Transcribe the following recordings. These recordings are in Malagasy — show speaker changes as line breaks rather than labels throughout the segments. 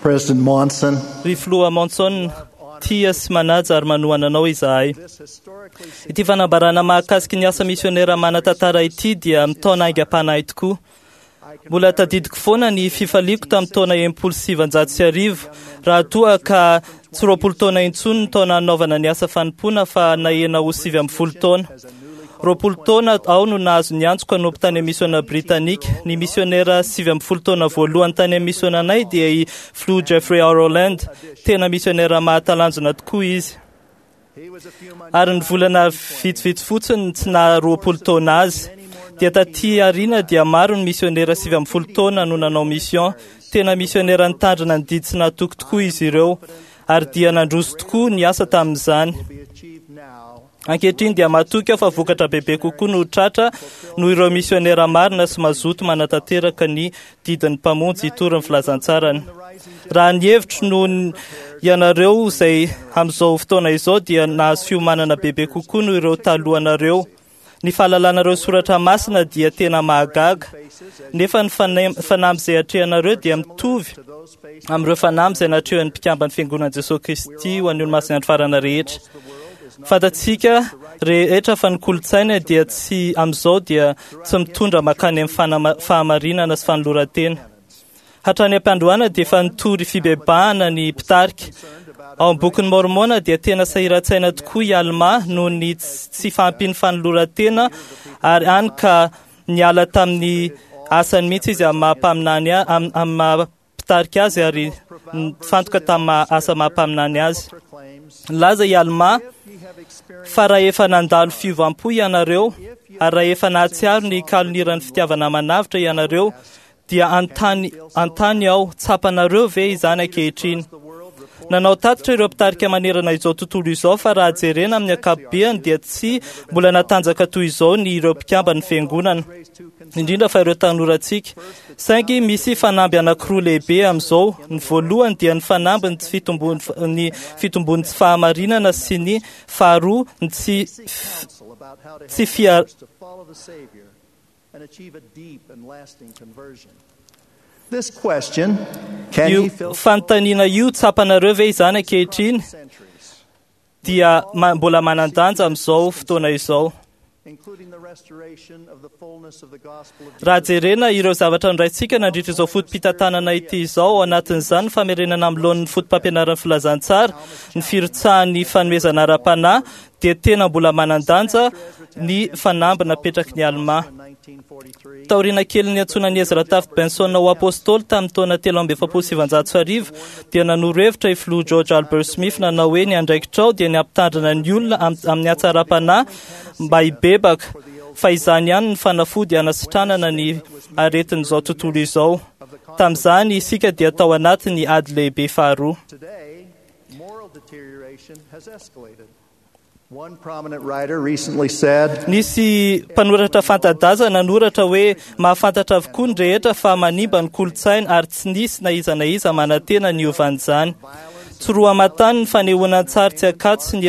President Monson,
Ry filoha Monson, tia sy manaja ary manohana anao izahay. Ity fanambarana mahakasiky ny asa misionera manan-tantara ity dia mitaona haingam-panahy tokoa. Mbola tadidiko foana ny fifaliako tamin'ny taona 1960 raha toa ka tsy 20 taona intsony ny taona hanaovana ny asa fanompoana fa nahena ho 19 taona. 20 taona aho no nahazo ny antsoko hanompo tany amin'ny misiona britanika. Ny misionera 19 taona voalohany tany amin'ny misiona anay dia i Filoha Jeffrey R. Holland. Tena misionera mahatalanjona tokoa izy. Ary ny volana vitsivitsy fotsiny tsy naha 20 taona azy. Dia taty aoriana dia maro ny misionera 19 taona no nanao mission. Tena misionera nitandrina ny didy sy nahatoky tokoa izy ireo. Ary dia nandroso tokoa ny asa tamin'izany. Ankehitriny dia matoky aho fa vokatra bebe kokoa no tratra noho ireo misionera marina sy mazoto manatanteraka ny didin'ny Mpamonjy hitory ny filazantsarany. Raha ny hevitro noho ny ianareo izay amin'izao fotoana izao dia nahazo fiomanana bebe kokoa noho ireo talohanareo. Ny fahalalanareo soratra masina dia tena mahagaga, nefa ny fanamby izay atrehanareo dia mitovy amin'ireo fanamby izay natrehan'ny mpikamban'ny Fiangonan'i Jesosy Kristy ho an'ny Olomasin'ny Andro Farany rehetra. Fantatsika rehetra fa ny kolontsaina dia tsy amin'izao dia tsy mitondra mankany amin'ny fahamarinana sy fanoloran-tena. Hatrany am-piandohana dia efa nitory fibebahana ny mpitarika. Ao amin'ny bokin'ny Mormona dia tena sahiran-tsaina tokoa i Alma noho ny tsy fahampian'ny fanoloran-tena ary hany ka niala tamin'ny asany mihitsy izy amin'ny maha mpaminany amin'ny maha mpitarika azy ary nifantoka tamin'ny asa maha mpaminany azy. Nilaza i Alma fa raha efa nandalo fiovam-po ianareo ary raha efa nahatsiaro ny kaloniran'ny fitiavana manavotra ianareo dia antany aho, tsapanareo ve izany ankehitriny? Nanao tatitra ireo mpitarika manerana izao tontolo izao fa raha jerena amin'ny ankapobeny dia tsy mbola natanjaka toy izao ny ireo mpikamban'ny fiangonana, indrindra fa ireo tanorantsika. Saingy misy fanamby anankiroa lehibe amin'izao. Ny voalohany dia ny fanamby ny tsy fitombon'ny tsy fahamarinana sy ny faharoa ny tsy
and achieve a deep and lasting conversion. This question, can
Io
ye fill
fanontaniana io tsapanareo ve izany ankehitriny dia mbola manan-danja amin'izao fotoana izao.
including the restoration of the fullness of the gospel of
Raha jerena ireo zavatra noraintsika nandritra izao foto-pitantanana ity izao, ao anatin'izany ny famerenana amin'ny laoniny foto-pampianaran'ny filazantsara, ny firotsahan'ny fanomezana ara-panahy, dia tena mbola manan-danja ny fanamby napetraky ny Alma.
1943
Taoriana kelin'ny niantsoana an'i Ezra Taft Benson ho apôstôly tamin'ny taona 1943 dia nanoro hevitra i filoha George Albert Smith nanao hoe ny andraikitrao dia ny hampitandrina ny olona amin'ny hatsaram-panahy mba hibebaka fa izany ihany ny fanafody hanasitranana ny aretin'izao tontolo izao. Tamin'izany isika dia tao anatin'ny ady lehibe faharoa.
Today, moral deterioration has escalated. One prominent writer recently said,
Nisy mpanoratra fanta-daza nanoratra hoe mahafantatra avokoa ny rehetra fa manimba ny kolontsaina ary tsy nisy na iza na iza manantena ny hiovan'izany. Tsy roa aman-tany ny fanehoana an-tsary tsy an-kato sy ny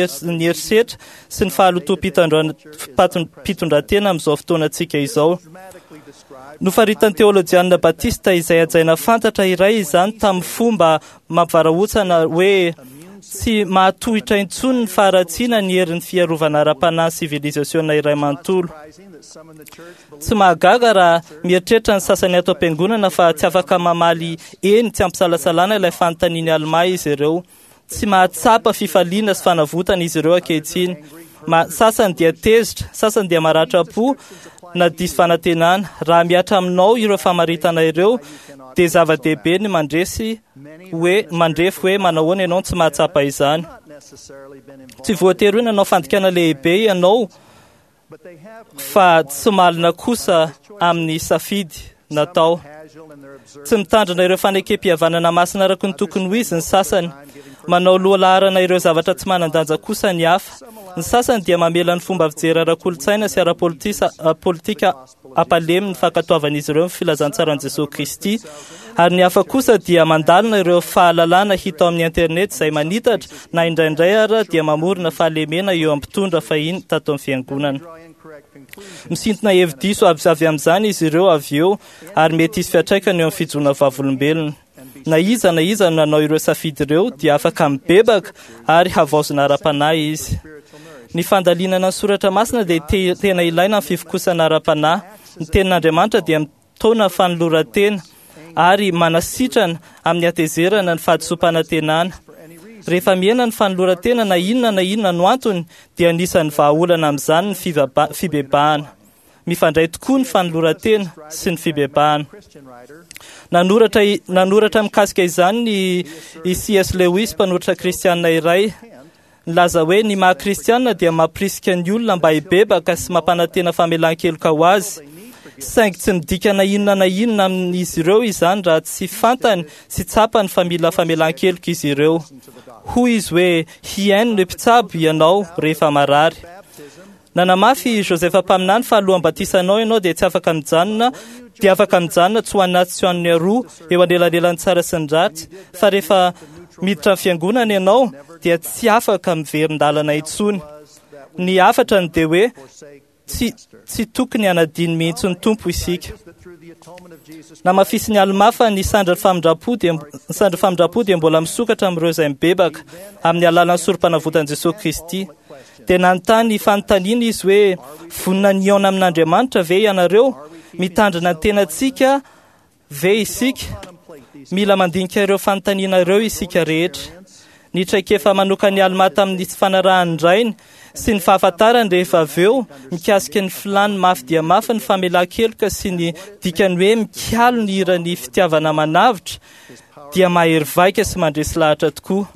herisetra sy ny fahalotoam-pitondran-tena amin'izao fotoanantsika izao.
dramatically described
Nofaritan'ny teolojianina Batista izay hajaina fantatra iray izany tamin'ny fomba mampivarahontsana hoe tsy mahatohitra intsony ny faharatsiana ny herin'ny fiarovana ara-panahy sivilizasiona iray manontolo.
surprising that some in the church believe
Tsy mahagaga raha mieritreritra ny sasany ato am-piangonana fa tsy afaka mamaly eny tsy ampisalasalana ilay fanontanian'i Alma izy ireo. Tsy mahatsapa fifaliana sy fanavotana izy ireo ankehitriny. Sasany dia tezitra, sasany dia maratra-po na diso fanantenana. Raha mihatra aminao ireo famaritana ireo dia zava-dehibe ny mandresy hoe mandrefy hoe manahoana ianao no tsy mahatsapa izany.
not necessarily been involved,
Tsy voatery hoe nanao fandikana lehibe ianao
but they have made
fa tsy malina kosa amin'ny safidy natao.
casual in their observance
Tsy mitandrina ireo fanekem-pihavanana masina araka ny tokony ho izy ny sasany. Manao lohalaharana ireo zavatra tsy manan-danja kosa ny hafa. Ny sasany dia mamela ny fomba fijery ara-kolontsaina sy ara-politika hampalemy ny fankatoavan'izy ireo ny filazantsaran'i Jesosy Kristy. Ary ny hafa kosa dia mandalina ireo fahalalana hita ao amin'ny internet izay manitatra na indraindray ara dia mamorona fahalemena eo amin'ny mpitondra fahiny tato amin'ny fiangonana.
draw incorrect conclusions.
Misintona hevi-diso avy amin'izany izy ireo avy eo ary mety hisy fiantraikany eo amin'ny fijoroana vavolombelona. Na iza na iza no nanao ireo safidy ireo dia afaka mibebaka ary havaozina ara-panahy izy. Ny fandalinana ny soratra masina dia tena ilaina amin'ny fivokosana ara-panahy. Ny tenin'Andriamanitra dia mitaona fanoloran-tena ary manasitrana amin'ny hatezerana ny fahadisoam-panantenana. Rehefa mihena ny fanoloran-tena na inona na inona no antony dia anisan'ny vahaolana amin'izany ny fibebahana. Mifandray tokoa ny fanoloran-tena sy ny fibebahana. Nanoratra mikasika izany ny C.S. Lewis, mpanoratra kristianina iray, nilaza hoe ny maha kristianina dia mampirisika ny olona mba hibebaka sy mampanantena famelan-keloka ho azy. Saingy tsy midika na inona na inona amin'izy ireo izany raha tsy fantany sy tsapany fa mila famelan-keloka izy ireo. Hoy izy hoe hihaino ny mpitsabo ianao rehefa marary. Nanamafy i Joseph mpaminany fa alohan'ny batisanao ianao dia tsy afaka mijanona, dia afaka mijanona tsy ho anaty sy ho an'ny aroa eo anelanelan'ny tsara sy ny ratsy, fa rehefa miditra ny fiangonana ianao dia tsy afaka miverin-dalana intsony. Ny hafatra ny dia hoe tsy tokony hanadino mihitsy ny Tompo isika. Namafisin'i Almà fa ny sandrin'ny famindram-po dia ny sandrin'ny famindram-po dia mbola misokatra amin'ireo izay mibebaka amin'ny alalan'ny sorom-panavotan'i Jesosy Kristy. Dia nanontany fanontaniana izy hoe vonona ny hihaona amin'Andriamanitra ve ianareo? Mitandrina ny tenantsika ve isika? Mila mandinika ireo fanontaniana ireo isika rehetra. Ny traikefa manokan'i Almà tamin'ny tsy fanarahan'ny rainy sy ny fahafantarany rehefa avy eo mikasika ny filàny mafy dia mafy ny famelan-keloka sy ny dikany hoe mikalo ny hiran'ny fitiavana manavotra dia mahery vaika sy mandresy lahatra tokoa.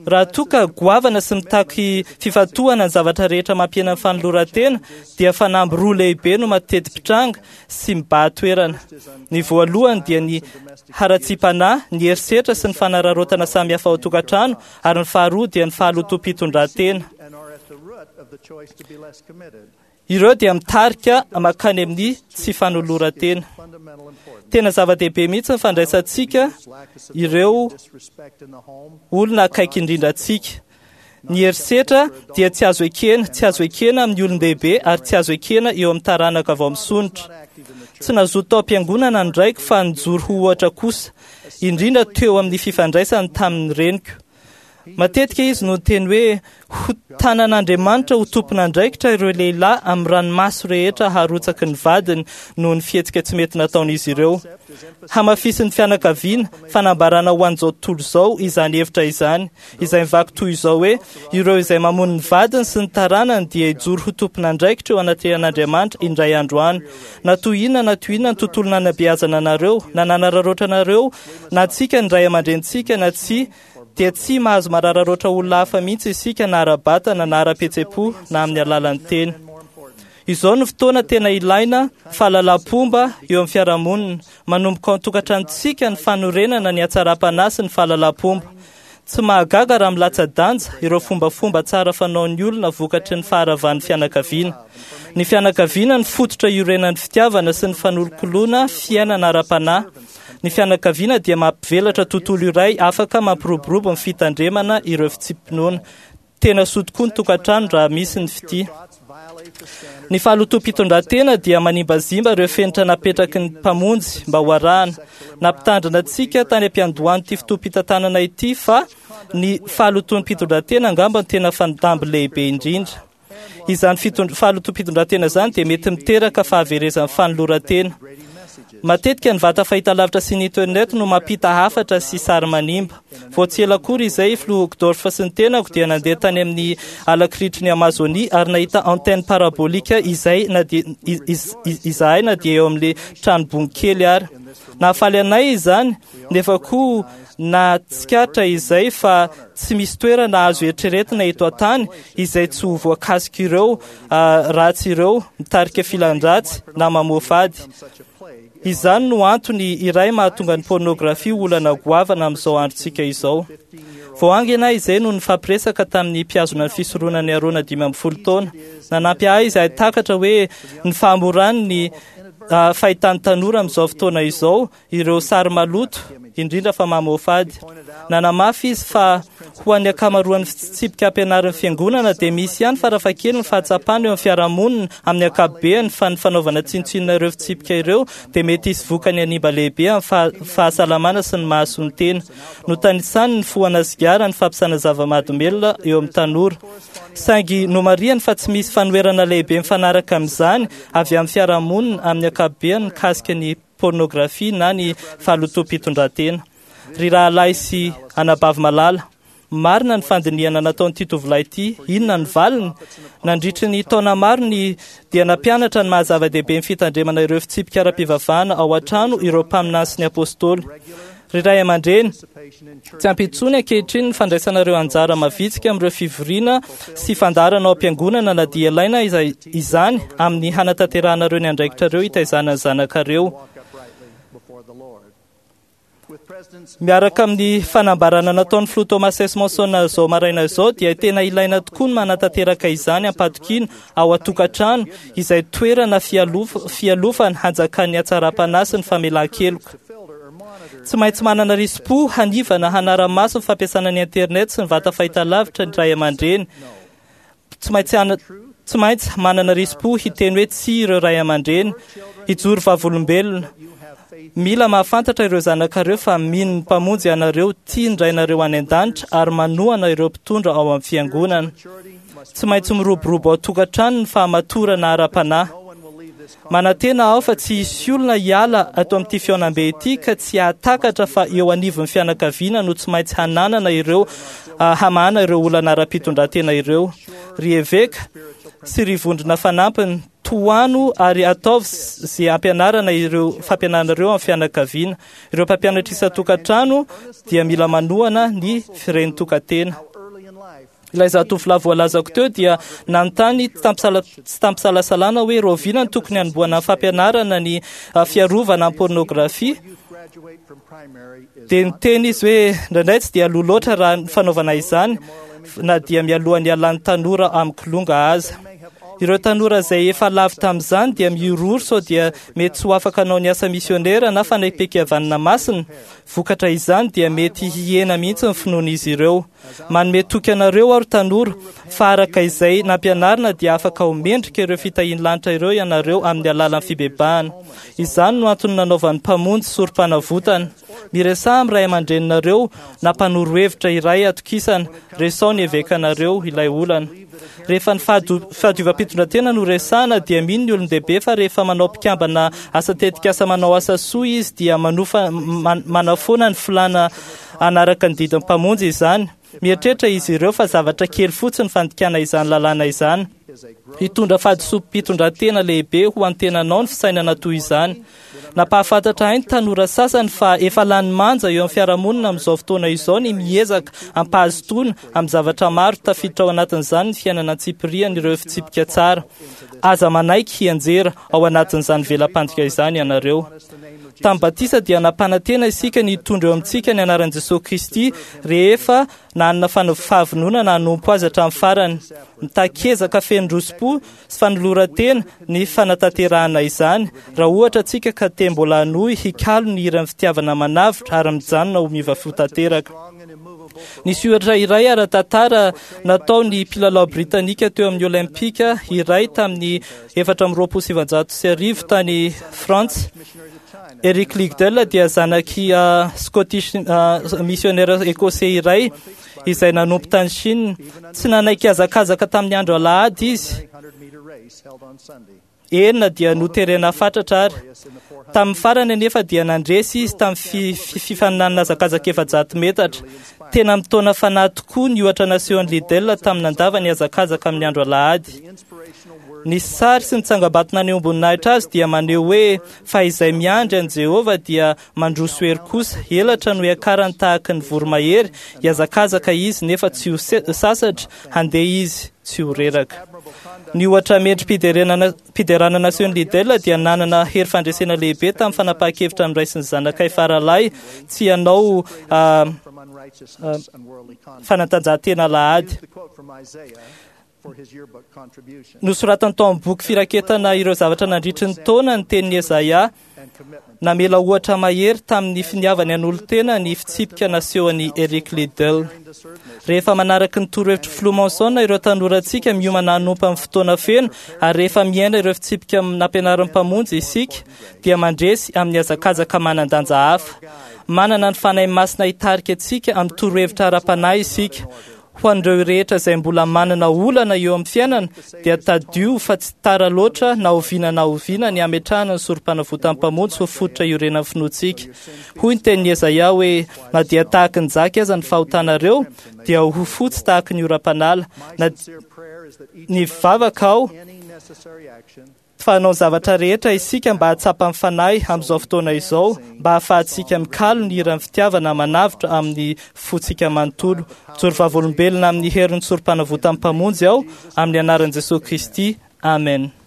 Raha toa ka goavana sy mitaky fifantohana ny zavatra rehetra mampihena ny fanoloran-tena dia fanamby roa lehibe no mateti-pitranga sy mibahan-toerana. Ny voalohany dia ny haratsiam-panahy, ny herisetra sy ny fanararaotana samihafa ao an-tokantrano, ary ny faharoa dia ny fahalotoam-pitondran-tena. Ireo dia mitarika mankany amin'ny tsy fanoloran-tena. Tena zava-dehibe mihitsy ny fandraisantsika ireo olona akaiky indrindra antsika. Ny herisetra dia tsy azo ekena, tsy azo ekena amin'ny olon-dehibe ary tsy azo ekena eo amin'ny taranaka vao misondrotra. Tsy nazoto tao am-piangonana ny raiko fa nijoro ho ohatra kosa, indrindra teo amin'ny fifandraisany tamin'ny reniko. Matetika izy no niteny hoe ho tanan'Andriamanitra ho tompon'andraikitra ireo lehilahy amin'ny ranomaso rehetra harotsaky ny vadiny noho ny fihetsika tsy mety nataon'izy ireo. Hamafisin'ny fianakaviana, fanambarana ho an'izao tontolo izao izany hevitra izany, izay mivaky toy izao hoe ireo izay mamono ny vadiny sy ny taranany dia hijoro ho tompon'andraikitra eo anatrehan'Andriamanitra indray andro any. Na toy inona na toy inona ny tontolo nanabeazana anareo, na nanararaotra anareo, na antsika ny ray aman-drenintsika na tsia, dia tsy mahazo marararoatra olona hafa mihitsy isika na ara-batana na ara-pihetseham-po na amin'ny alalan'ny teny. Izao no fotoana tena ilaina fahalalam-pomba eo amin'ny fiarahamonina. Manomboka ao an-tokantranontsika ny fanorenana ny hatsaram-panahy sy ny fahalalam-pomba. Tsy mahagaga raha milatsa-danja ireo fombafomba tsara fanaon'ny olona vokatry ny faharavan'ny fianakaviana. Ny fianakaviana no fototra iorenan'ny fitiavana sy ny fanolokoloana fiainana ara-panahy. Ny fianakaviana dia mampivelatra tontolo iray afaka mampiroborobo ny fitandremana ireo fitsipi-pinoana. Tena soa tokoa ny tokantrano raha misy ny fitia. Ny fahalotoam-pitondran-tena dia manimbazimba ireo fenitra napetraky ny Mpamonjy mba ho arahana. Nampitandrina antsika tany am-piandohan'ity fotoam-pitantanana ity fa ny fahalotoam-pitondran-tena angamba no tena fanamby lehibe indrindra. Izany fahalotoam-pitondran-tena izany dia mety miteraka fahaverezan'ny fanoloran-tena. Matetika ny vata fahitalavitra sy ny internet no mampita hafatra sy sary manimba. Vao tsy ela akory izay, Filoha Uchtdorf sy ny tenako dia nandeha tany amin'ny alakiritry ny Amazonia ary nahita antenne parabolique izay na dia izahay na dia eo amin'ilay trano bongo kely ary. Nahafaly anay izany, nefa koa nahatsikaritra izay fa tsy misy toerana azo eritreretina eto an-tany izay tsy ho voakasik'ireo ratsy ireo mitarika filan-dratsy na mamoafady. Izany no antony iray mahatonga ny pornografia ho olana goavana amin'izao androntsika izao. Vao haingana izay no nifampiresaka tamin'ny mpihazona ny fisoronan'i Arona 15 taona. Nanampy ahy izahay takatra hoe ny fahamoran'ny fahitan'ny tanora amin'izao fotoana izao ireo sary maloto, indrindra fa mamoafady. Nanamafy izy fa Ho an'ny ankamaroan'ny fitsipika ampianarin'ny fiangonana dia misy ihany farafahakeliny ny fahatsapana eo amin'ny fiarahamonina amin'ny ankapobeny fa ny fanaovana tsinontsinona ireo fitsipika ireo dia mety hisy vokany hanimba lehibe amin'ny fahasalamana sy ny mahasoa ny tena. Notanisany ny fohana sigara, ny fampiasana zava-mahadomelina eo amin'ny tanora. Saingy nomarihany fa tsy misy fanoherana lehibe mifanaraka amin'izany avy amin'ny fiarahamonina amin'ny ankapobeny mikasika ny pornografia na ny fahalotoam-pitondran-tena. Ry rahalahy sy anabavy malala, marina ny fandinihana nataon'ity tovolahy ity. Inona ny valiny? Nandritry ny taona maro ny dia nampianatra ny maha-zava-dehibe ny fitandremana ireo fitsipika ara-pivavahana ao an-trano ireo mpaminany sy ny apôstôly. Ry ray aman-dreny, tsy ampy intsony ankehitriny ny fandraisanareo anjara mavitrika amin'ireo fivoriana sy fandaharana ao am-piangonana na dia ilaina izany amin'ny hanatanterahanareo ny andraikitrareo hitaizana ny zanakareo. Miaraka amin'ny fanambarana nataon'ny filoha Thomas S. Monson izao maraina izao dia tena ilaina tokoa ny manatanteraka izany am-patokiana ao an-tokantrano izay toerana fialofana hanjakan'ny hatsaram-panahy sy ny famelan-keloka. Tsy maintsy manana risi-po hanivana hanara-maso ny fampiasana ny internet sy ny vata fahitalavitra ny ray aman-dreny. Tsy maintsy manana risi-po hiteny hoe tsia ireo ray aman-dreny, hijoro vavolombelona. Mila mahafantatra ireo zanakareo fa mino ny Mpamonjy ianareo, tia ny Rainareo any an-danitra ary manohana ireo mpitondra ao amin'ny fiangonana. Tsy maintsy miroborobo ao an-tokantrano ny fahamatorana ara-panahy. Manantena aho fa tsy hisy olona hiala ato amin'ity fihaonambe ity ka tsy hahatakatra fa eo anivon'ny fianakaviana no tsy maintsy hananana ireo hamahana ireo olana ara-pitondran-tena ireo. Ry eveka sy ry vondrona fanampiny, tohano ary ataovy izay hampianarana ireo fampianarana ireo amin'ny fianakaviana. Ireo mpampianatra isan-tokantrano dia mila manohana ny firen'ny-tokantena. Ilay zatovolahy voalazako teo dia nanontany tsy tampisalasalana hoe rahoviana no tokony hanombohana ny fampianarana ny fiarovana amin'ny pornografia. Dia niteny izy hoe indraindray tsy dia aloha loatra raha ny fanaovana izany na dia mialohan'ny hialan'ny tanora amin'ny kilonga aza. Ireo tanora izay efa lavo tamin'izany dia mihorohoro sao dia mety tsy ho afaka hanao ny asa misionera na fanekempihavanana masina. Vokatra izany dia mety hihena mihitsy ny finoan'izy ireo. Manome toky anareo aho ry tanora fa araka izay nampianarina dia afaka ho mendrika ireo fitahian'ny lanitra ireo ianareo amin'ny alalan'ny fibebahana. Izany no antony nanaovan'ny Mpamonjy sorom-panavotana. Miresaha amin'ny ray aman-dreninareo na mpanoro hevitra iray atokisana, resaho ny evekanareo ilay olana. Rehefa ny fahadiovam-pitondran-tena no resahana dia mino ny olon-dehibe fa rehefa manao mpikambana asa tetikasa manao asa soa izy dia manofa manafoana ny filàna hanaraka ny didin'ny Mpamonjy izany. Mieritreritra izy ireo fa zavatra kely fotsiny ny fandikana izany lalàna izany. Hitondra fahadisoam-pitondran-tena lehibe ho an'ny tenanao ny fisainana toy izany. Nampahafantatra ahy ny tanora sasany fa efa lany manja eo amin'ny fiarahamonina amin'izao fotoana izao ny miezaka am-pahazotoana amin'ny zavatra maro, tafiditra ao anatin'izany ny fiainana antsipiriany ireo fitsipika tsara. Aza manaiky hianjera ao anatin'izany vela-pandrika izany ianareo. Tamin'ny batisa dia nampanantena isika ny hitondra eo amintsika ny anaran'i Jesosy Kristy rehefa nanana fahavononana hanompo Azy hatramin'ny farany. Mitaky ezaka feno roso-po sy fanoloran-tena ny fanatanterahana izany, raha ohatra antsika ka te mbola hanohy hikalo ny hiran'ny fitiavana manavotra ary mijanona ho miova fo tanteraka. Nisy ohatra iray ara-tantara nataon'ny mpilalao britanika teo amin'ny Olympika iray tamin'ny 1924 tany Frantsa. Eric Liddell dia zanak'i Scottish missionnaire écossais iray izay nanompo tany Chine. Tsy nanaiky hazakazaka tamin'ny andro alahady izy. Eny na dia noterena fatratra ary. Tamin'ny farany anefa dia nandresy izy tamin'ny fifaninanana hazakazaka 400 metatra. Tena mitaona fanahy tokoa ny ohatra nasehon'i Liddell tamin'ny nandavany hazakazaka amin'ny andro alahady. Ny sary sy ny tsangambato nanehoam-boninahitra azy dia maneho hoe fa izay miandry an'i Jehovah dia mandroso hery kosa. Elatra no hiakarany tahaka ny voromahery, hihazakazaka izy nefa tsy ho sasatra, handeha izy tsy ho reraka. Ny ohatra mendri-piderana nasehon'i Liddell dia nanana hery fandresena lehibe tamin'ny fanapahan-kevitra noraisin'ny zanakay faralahy tsy hanao fanatanjahantena alahady. Nosoratany tao amin'ny boky firaketana ireo zavatra nandritry ny taona ny tenin'i Ezaia. Namela ohatra mahery tamin'ny finiavany hanolo-tena ny fitsipika nasehon'i Eric Liddell. Rehefa manaraka ny torohevitry Filoha Monson ireo tanorantsika miomana hanompo amin'ny fotoana feno ary rehefa miaina ireo fitsipika nampianarin'ny Mpamonjy isika dia mandresy amin'ny hazakazaka manan-danja hafa. Manana ny Fanahy Masina hitarika antsika amin'ny torohevitra ara-panahy isika. Ho an'ireo rehetra izay mbola manana olana eo amin'ny fiainana dia tadidio fa tsy tara loatra na oviana na oviana ny hametrahana ny sorom-panavotan'ny Mpamonjy ho fototra iorenan'ny finoantsika. Hoy ny tenin'i Ezaia hoe, na dia tahaky ny jaky aza ny fahotanareo dia ho fotsy tahaky ny oram-panala. Na ny vavaka aho fa hanao zavatra rehetra isika mba hahatsapa ny Fanahy amin'izao fotoana izao, mba hahafahantsika mikalo ny hiran'ny fitiavana manavotra amin'ny fontsika manontolo. Mijoro vavolombelona amin'ny herin'ny sorom-panavotan'ny Mpamonjy aho, amin'ny anaran'i Jesosy Kristy. Amen.